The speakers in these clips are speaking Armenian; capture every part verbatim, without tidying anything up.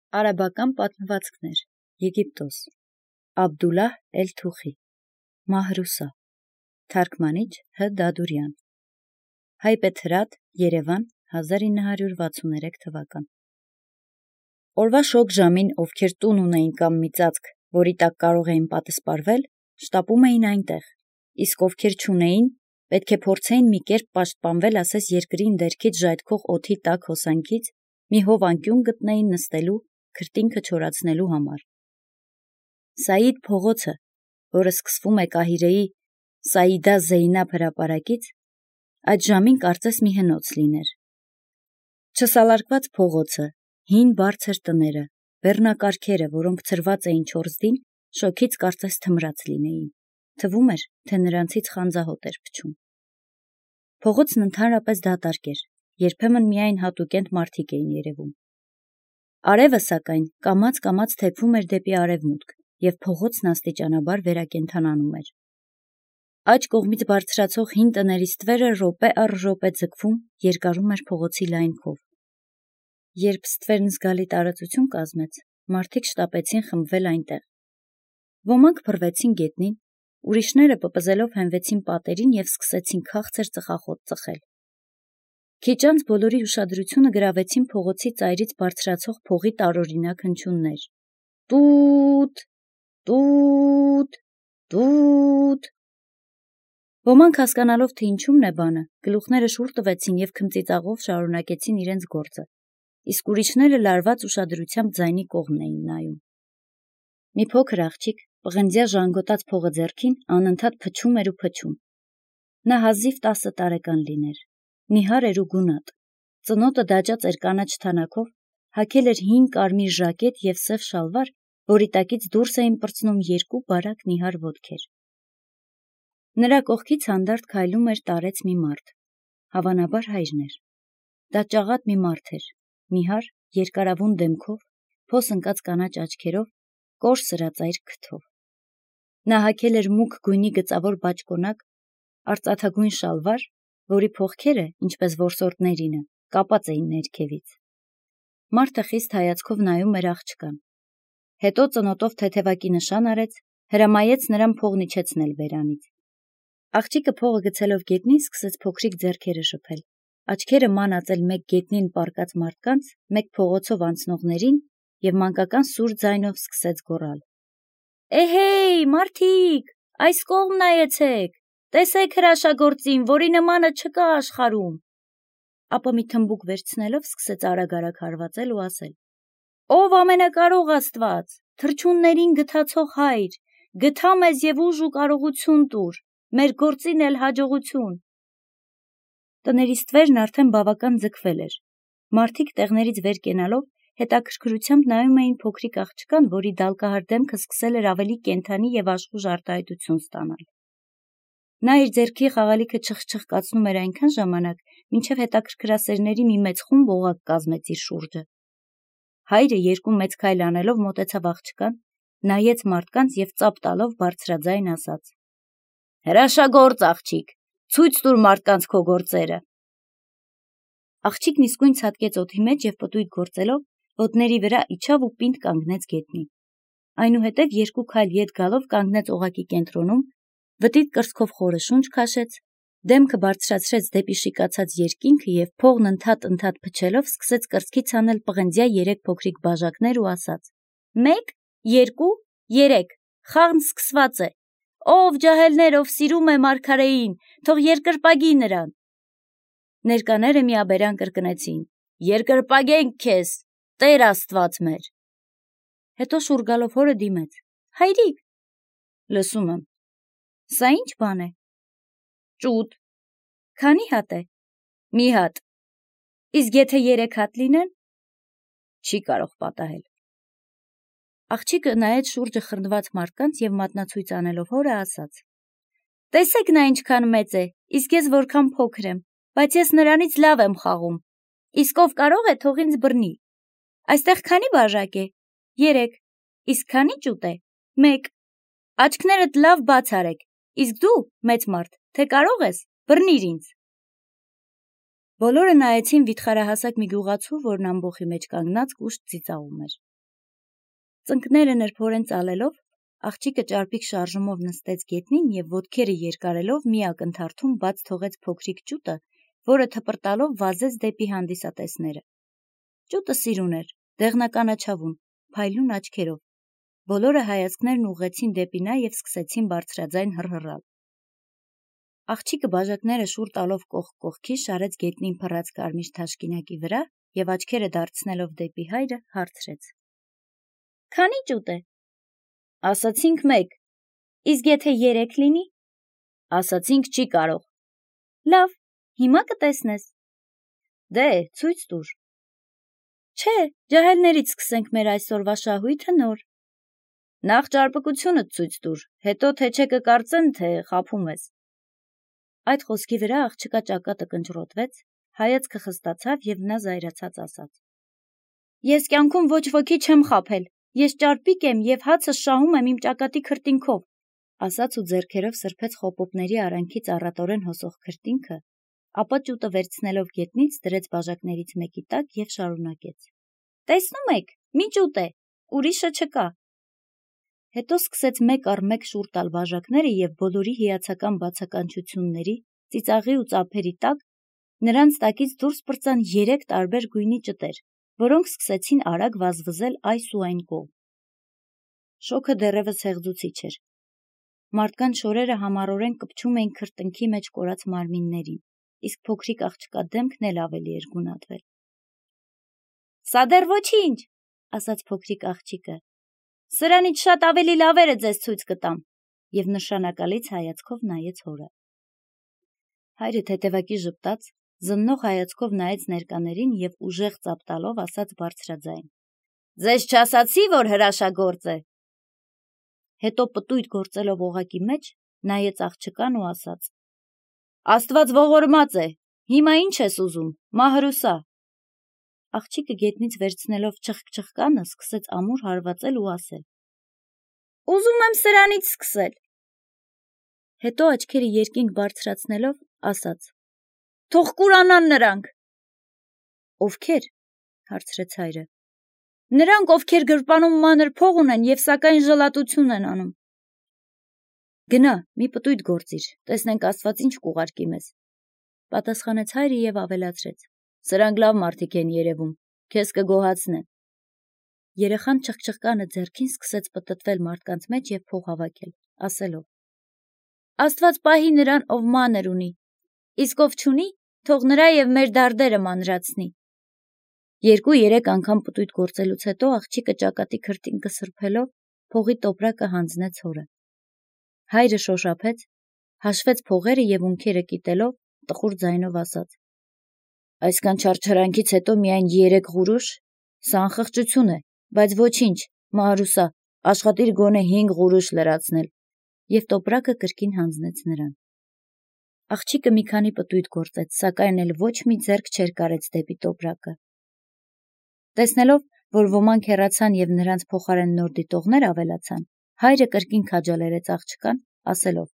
Արաբական պատմվածքներ, Եգիպտոս, Աբդուլլահ էլ-Թուխի, Մահրուսա, Թարգմանիչ Հ. Դադուրյան, Հայբեթրատ, Երևան, հազար ինը հարյուր վաթսուններեք թվական։ Օրվա շոգ ժամին, ովքեր տուն ունեին կամ մի ծածկ, որի տակ կարող էին պատսպարվել, շտապում էին այնտեղ, իսկ ովքեր չունեին, պետք է փորձեին մի կերպ պաշտպանվել ասես երկրի ընդերքից ժայթքող օդի տաք հոսանքից, մի հով անկյուն գտնեին նստելու, քրտինքը չորացնելու համար։ Սաիդ փողոցը, որը սկսվում է Կահիրեի Սաիդա Զեյնաբ հրապարակից, այդ ժամին կարծես մի հնոց լիներ։ Չսալարկված փողոցը, հին բարձր տները, բեռնակարգերը, որոնք ցրված էին չորզդին, շոգից կարծես թմրած լինեին, թվում էր, թե նրանցից խանձահոտ էր փչում։ Փողոցն ընդհանրապես դատարկ էր, երբեմն միայն հատուկենտ մարդիկ էին երևում։ Արևը, սակայն, կամաց-կամաց թեքվում էր դեպի արևմուտք, և փողոցն աստիճանաբար վերակենդանանում էր։ Աջ կողմից բարձրացող հին տների ստվերը րոպե առ րոպե ձգվում, երկարում էր փողոցի լայն քով։ Երբ ստվերն զգալի տարածություն կազմեց, մարդիկ շտապեցին խմբվել այնտեղ։ Ոմանք փռվեցին գետնին, ուրիշները պպզելով հենվեցին պատերին և սկսեցին քաղցր ծխախոտ ծխել։ Քիչ անց բոլորի ուշադրությունը գրավեցին փողոցի ծայրից բարձրացող փողի տարօրինակ հնչյուններ. «Տուտ, տուտ, տուտ»։ Ոմանք հասկանալով, թե ինչումն է բանը, գլուխները շուռ տվեցին և քմծիծաղով շարունակեցին իրենց գործը, իսկ ուրիշները լարված ուշադրությամբ ձայնի կողմն էին նայում։ Մի փոքր աղջիկ, պղնձյա ժանգոտած փողը ձեռքին, անընդհատ փչում էր ու փչում։ Նա հազիվ տասը տարեկան լիներ, նիհար էր ու գունատ, ծնոտը դաջած էր կանաչ թանաքով, հագել էր հին կարմիր ժակետ և սև շալվար, որի տակից դուրս էին պրծնում երկու բարակ նիհար ոտքեր։ Նրա կողքից հանդարտ քայլում էր տարեց մի մարդ, հավանաբար հայրն էր։ Դա ճաղատ մի մարդ էր, նիհար, երկարավուն դեմքով, փոս ընկած կանաչ աչքերով, կոր սրածայր քթով։ Նա հագել էր մուգ գույնի գծավոր բաճկոնակ, արծաթագույն շալվար, որի փողքերը, ինչպես որսորդներինը, կապած էին ներքևից։ Մարդը խիստ հայացքով նայում էր աղջկան։ Հետո ծնոտով թեթևակի նշան արեց, հրամայեց նրան փողն իջեցնել բերանից։ Աղջիկը փողը գցելով գետնին սկսեց փոքրիկ ձեռքերը շփել, աչքերը ման ածել մեկ գետնին պառկած մարդկանց, մեկ փողոցով անցնողներին և մանկական սուր ձայնով սկսեց գոռալ. «Էհեյ, մարդիկ, այս կողմ նայեցեք, տեսեք հրաշագործին, որի նմանը չկա աշխարհում»։ Ապա մի թմբուկ վերցնելով սկսեց արագ-արագ հարվածել ու ասել. «Ով ամենակարող Աստված, թռչուններին գթացող հայր, գթա մեզ և ուժ ու կարողություն տուր, մեր գործին էլ հաջողություն»։ Տների ստվերն արդեն բավական ձգվել էր։ Մարդիկ տեղներից վեր կենալով հետաքրքրությամբ նայում էին փոքրիկ աղջկան, որի դալկահար դեմքը սկսել էր ավելի կենդանի և աշխույժ արտահայտություն ստանալ։ Նա իր ձեռքի խաղալիքը չխչխկացնում էր այնքան ժամանակ, մինչև հետաքրքրասերների մի մեծ խումբ օղակ կազմեց իր շուրջը։ Հայրը երկու մեծ քայլ անելով մոտեցավ աղջկան, նայեց մարդկանց և ծափ տալով բարձրաձայն ասաց. «Հրաշագործ աղջիկ, ցույց տուր մարդկանց քո գործերը»։ Աղջիկն իսկույն ցատկեց օդի մեջ և պտույտ գործելով, ոտների վրա իջավ ու պինդ կանգնեց գետնին։ Այնուհետև երկու քայլ ետ գալով կանգնեց օղակի կենտրոնում, վտիտ կրծքով խորը շունչ քաշեց, դեմքը բարձրացրեց դեպի շիկացած երկինքը և փողն ընդհատ-ընդհատ փչելով սկսեց կրծքից հանել պղնձյա երեք փոքրիկ բաժակներ ու ասաց. «Մեկ, երկու, երեք, խաղն սկսված է, ով ջահելներ, ով սիրում է մարգարեին, թող երկրպագի նրան»։ Ներկաները միաբերան կրկնեցին. «Երկրպագենք քեզ, Տեր Աստված մեր»։ Հետո շուռ գալով հորը դիմեց. «Հայրիկ»։ «Լսում եմ»։ «Սա ի՞նչ բան է»։ «Ճուտ»։ «Քանի հատ է»։ «Մի հատ»։ «Իսկ եթե երեք հատ լինեն»։ «Չի կարող պատահել»։ Աղջիկը նայեց շուրջը խռնված մարդկանց և մատնացույց անելով հորը ասաց. «Տեսեք նա ինչքան մեծ է, իսկ ես որքան փոքր եմ, բայց ես նրանից լավ եմ խաղում, իսկ ով կարող է, թող ինձ բռնի։ Այստեղ քանի բաժակ է։ Երեք։ Իսկ քանի ճուտ է։ Մեկ։ Աչքներդ լավ բաց արեք, իսկ դու, մեծ մարդ, թե կարող ես, բռնիր ինձ»։ Բոլորը նայեցին վիթխարահասակ մի գյուղացու, որն ամբոխի մեջ կանգնած կուշտ ծիծաղում էր։ Ծնկները նրբորեն ծալելով, աղջիկը ճարպիկ շարժումով նստեց գետնին և ոտքերը երկարելով մի ակնթարթում բաց թողեց փոքրիկ ճուտը, որը թպրտալով վազեց դեպի հանդիսատեսները։ Ճուտը սիրուն էր, դեղնականաչավուն, փայլուն աչքերով։ Բոլորը հայացքներն ուղղեցին դեպի նա և սկսեցին բարձրաձայն հռհռալ։ Աղջիկը բաժակները շուռ տալով կողք կողքի շարեց գետնին փռած կարմիր թաշկինակի վրա և աչքերը դարձնելով դեպի հայրը հարցրեց. «Քանի՞ ճուտ է»։ «Ասացինք մեկ»։ «Իսկ եթե երեք լինի»։ «Ասացինք չի կարող»։ «Լավ, հիմա կտեսնես»։ «Դե, ցույց տուր»։ «Չէ, ջահելներից սկսենք մեր այսօրվա շահույթը նոր»։ «Նախ ճարպկությունդ ցույց տուր, հետո թե չէ կկարծեն, թե խաբում ես»։ Այդ խոսքի վրա աղջկա ճակատը կնճռոտվեց, հայացքը խստացավ և նա զայրացած ասաց. «Ես կյանքում ոչ ոքի չեմ խաբել, ես ճարպիկ եմ և հացս շահում եմ իմ ճակատի քրտինքով», ասաց ու ձեռքերով սրբեց խոպոպների արանքից առատորեն հոսող քրտինքը, ապա ճուտը վերցնելով գետնից դրեց բաժակներից մեկի տակ և շարունակեց. «Տեսնում եք, մի ճուտ է, ուրիշը չկա»։ Հետո սկսեց մեկ առ մեկ շուռ տալ բաժակները և բոլորի հիացական բացականչությունների, ծիծաղի ու ծափերի տակ նրանց տակից դուրս պրծան երեք տարբեր գույնի ճտեր, որոնք սկսեցին արագ վազվզել այս ու այն կողմ։ Շոգը դեռևս հեղձուցիչ էր։ Մարդկանց շորերը համառորեն կպչում էին քրտինքի մեջ կորած մարմիններին, իսկ փոքրիկ աղջկա դեմքն էլ ավելի էր գունատվել։ «Սա դեռ ոչինչ», ասաց փոքրիկ աղջիկը։ «Սրանից շատ ավելի լավերը ձեզ ցույց կտամ», և նշանակալից հայացքով նայեց հորը։ Հայրը թեթևակի ժպտաց, զննող հայացքով նայեց ներկաներին և ուժեղ ծափ տալով ասաց բարձրաձայն. «Ձեզ չասացի, որ հրաշագործ է»։ Հետո պտույտ գործելով օղակի մեջ, նայեց աղջկան ու ասաց. «Աստված ողորմած է, հիմա ինչ ես ուզում, Մահրուսա»։ Աղջիկը գետնից վերցնելով չխկչխկանը, սկսեց ամուր հարվածել ու ասել. «Ուզում եմ սրանից սկսել»։ Հետո աչքերը երկինք բարձրացնելով, ասաց. «Թող կուրանան նրանք»։ «Ովքեր»։ հարցրեց հայրը։ «Նրանք, ովքեր գրպանում մանր փող ունեն և սակայն ժլատություն են անում»։ «Գնա, մի պտույտ գործիր, տեսնենք Աստված ինչ կուղարկի մեզ», պատասխանեց հայրը և ավելացրեց. «Սրանք լավ մարդիկ են երևում, քեզ կգոհացնեն»։ Երեխան չխկչխկանը ձեռքին սկսեց պտտվել մարդկանց մեջ և փող հավաքել, ասելով. «Աստված պահի նրան, ով մանր ունի, իսկ ով չունի, թող նրա և մեր դարդերը մանրացնի»։ Երկու-երեք անգամ պտույտ գործելուց հետո աղջիկը ճակատի քրտինքը սրբելով, փողի տոպրակը հանձնեց հորը։ Հայրը շոշափեց, հաշվեց փողերը և ունքերը կիտելով, տխուր ձայնով ասաց. «Այսքան չարչարանքից հետո միայն երեք ղուրուշ, սա անխղճություն է, բայց ոչինչ, Մահրուսա, աշխատիր գոնե հինգ ղուրուշ լրացնել», և տոպրակը կրկին հանձնեց նրան։ Աղջիկը մի քանի պտույտ գործեց, սակայն էլ ոչ մի ձեռք չէր կարեց դեպի տոպրակը։ Տեսնելով, որ ոմանք հեռացան և նրանց փոխարեն նոր դիտողներ ավելացան, հայրը կրկին քաջալերեց աղջկան, ասելով.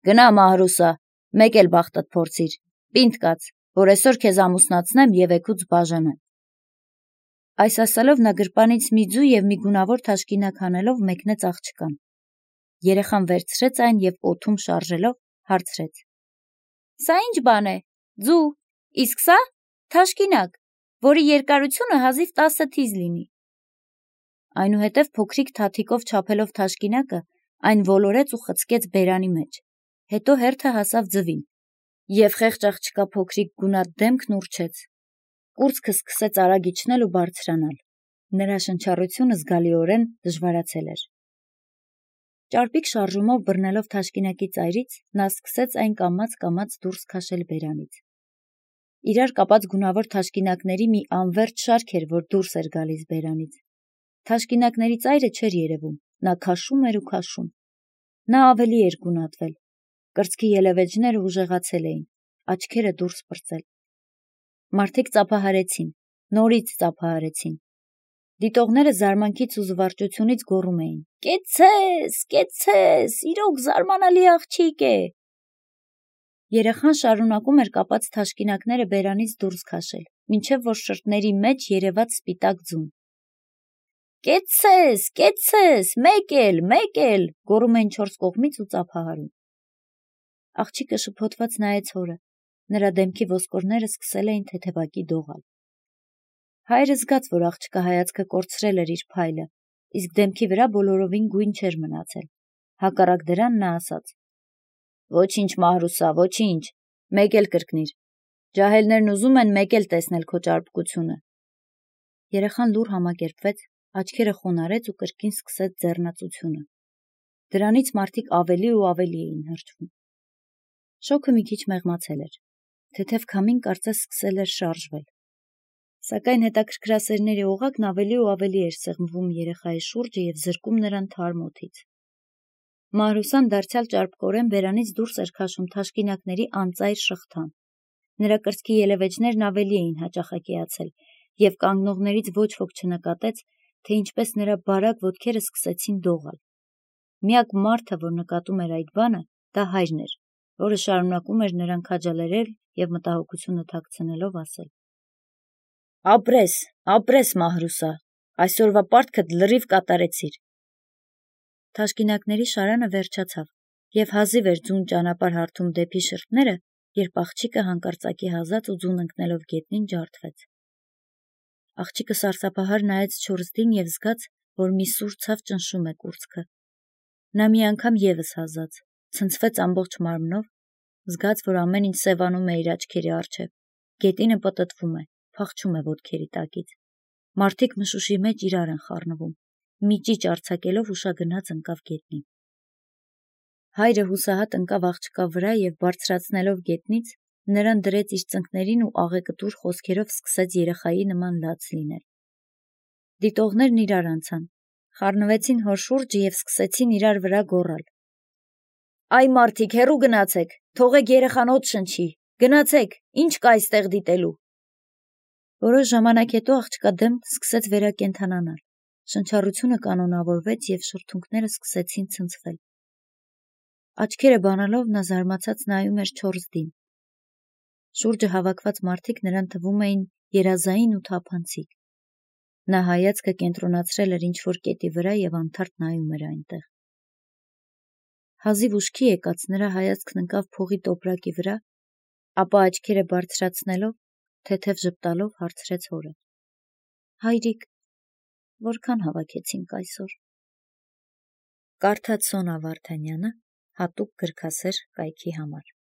«Գնա, Մահրուսա, մեկ էլ բախտդ փորձիր, պինդ կաց, որ այսօր քեզ ամուսնացնեմ և էգուց բաժանեմ»։ Այս ասելով նա գրպանից մի ձու և մի գունավոր թաշկինակ հանելով մեկնեց աղջկան։ Երեխան վերցրեց այն և օդում շարժելով հարցրեց. «Սա ի՞նչ բան է, ձու, իսկ սա՞։ Թաշկինակ, որի երկարությունը հազիվ տասը թիզ լինի»։ Այնուհետև փոքրիկ թաթիկով չափելով թաշկինակը, այն ոլորեց ու խցկեց բերանի մեջ, հետո հերթը հասավ ձվին, և խեղճ աղջկա փոքրիկ գունատ դեմքն ուռչեց։ Կուրծքը սկսեց արագ իջնել ու բարձրանալ։ Նրա շնչառությունը զգալիորեն դժվարացել էր։ Ճարպիկ շարժումով բռնելով թաշկինակի ծայրից, նա սկսեց այն կամաց-կամաց դուրս քաշել բերանից։ Իրար կապած գունավոր թաշկինակների մի անվերջ շարք էր, որ դուրս էր գալիս բերանից։ Թաշկինակների ծայրը չէր երևում, նա քաշում էր ու քաշում։ Նա ավելի էր գունատվել։ Կրծքի ելևէջները ուժեղացել էին, աչքերը դուրս պրծել։ Մարդիկ ծափահարեցին, նորից ծափահարեցին։ Դիտողները զարմանքից ու զվարճությունից գոռում էին. «Կեցցե՛ս, կեցցե՛ս, իրոք զարմանալի աղջիկ է»։ Երեխան շարունակում էր կապած թաշկինակները բերանից դուրս քաշել, մինչև որ շրթների մեջ երևաց սպիտակ ձուն։ Կեցցես, կեցցես, մեկ էլ, մեկ էլ, գոռում էին չորս կողմից ու ծափահարում։ Աղջիկը շփոթված նայեց հորը, նրա դեմքի ոսկորները սկսել էին թեթևակի դողալ։ Հայրը զգաց, որ աղջկա հայացքը կորցրել էր իր փայլը, իսկ դեմքի վրա բոլորովին գույն չէր մնացել։ Հակառակ դրան նա ասաց. «Ոչինչ, Մահրուսա, ոչինչ, մեկ էլ կրկնիր։ Ջահելներն ուզում են մեկ էլ տեսնել քո ճարպկությունը»։ Երեխան լուռ համակերպվեց, աչքերը խոնարհեց ու կրկին սկսեց ձեռնածությունը։ Դրանից մարդիկ ավելի ու ավելի էին հրճվում։ Շոգը մի քիչ մեղմացել էր։ Թեթև քամին կարծես սկսել էր շարժվել։ Սակայն հետաքրքրասերների օղակն ավելի ու ավելի էր սեղմվում երեխայի շուրջը և զրկում նրան թարմ օդից։ Մահրուսան դարձյալ ճարպկորեն բերանից դուրս էր քաշում թաշկինակների անծայր շղթան։ Նրա կրծքի ելևէջներն ավելի էին հաճախակիացել, և կանգնողներից ոչ ոք չնկատեց, թե ինչպես նրա բարակ ոտքերը սկսեցին դողալ։ Միակ մարդը, որ նկատում էր այդ բանը, դա հայրն էր, որը շարունակում էր նրան քաջալերել և մտահոգությունը թաքցնելով ասել. «Ապրես, ապրես, Մահրուսա, այսօրվա պարտքդ լրիվ կատարեցիր»։ Թաշկինակների շարանը վերջացավ, և հազիվ էր ձուն ճանապարհ հարթում դեպի շրթները, երբ աղջիկը հանկարծակի հազաց ու ձուն ընկնելով գետնին ջարդվեց։ Աղջիկը սարսափահար նայեց չորսդին և զգաց, որ մի սուր ցավ ճնշում է կուրծքը։ Նա մի անգամ ևս հազաց, ցնցվեց ամբողջ մարմնով, զգաց, որ ամեն ինչ սևանում է իր աչքերի առջև, գետինը պտտվում է, փախչում է ոտքերի տակից։ Մարդիկ մշուշի մեջ իրար են խառնվում, մի ճիճ արձակելով ուշագնաց ընկավ գետնին։ Հայրը հուսահատ ընկավ աղջկա վրա և բարձրացնելով գետնից, նրան դրեց իր ծնկներին ու աղեկտուր խոսքերով սկսեց երեխայի նման լաց լինել։ Դիտողներն իրար անցան, խառնվեցին հոր շուրջը և սկսեցին իրար վրա գոռալ. «Այ մարդիկ, հեռու գնացեք, թողեք երեխան օդ շնչի, գնացեք, ինչ կա այստեղ դիտելու»։ Որոշ ժամանակ հետո աղջկա դեմքն սկսեց վերակենդանանալ, շնչառությունը կանոնավորվեց և շրթունքները սկսեցին ցնցվել։ Աչքերը բանալով նա զարմացած նայում էր չորսդին։ Շուրջը հավաքված մարդիկ նրան թվում էին երազային ու թափանցիկ։ Նա հայացքը կենտրոնացրել էր ինչ-որ կետի վրա և անթարթ նայում էր այնտեղ։ Հազիվ ուշքի եկած նրա հայացքն ընկավ փողի տոպրակի վրա, ապա աչքերը բարձրացնելով, թեթև ժպտալով հարցրեց հորը. «Հայրիկ, որքան հավաքեցինք այսօր»։ Կարդաց Սոնա Վարդանյանը հատուկ գրքասեր կայքի համար։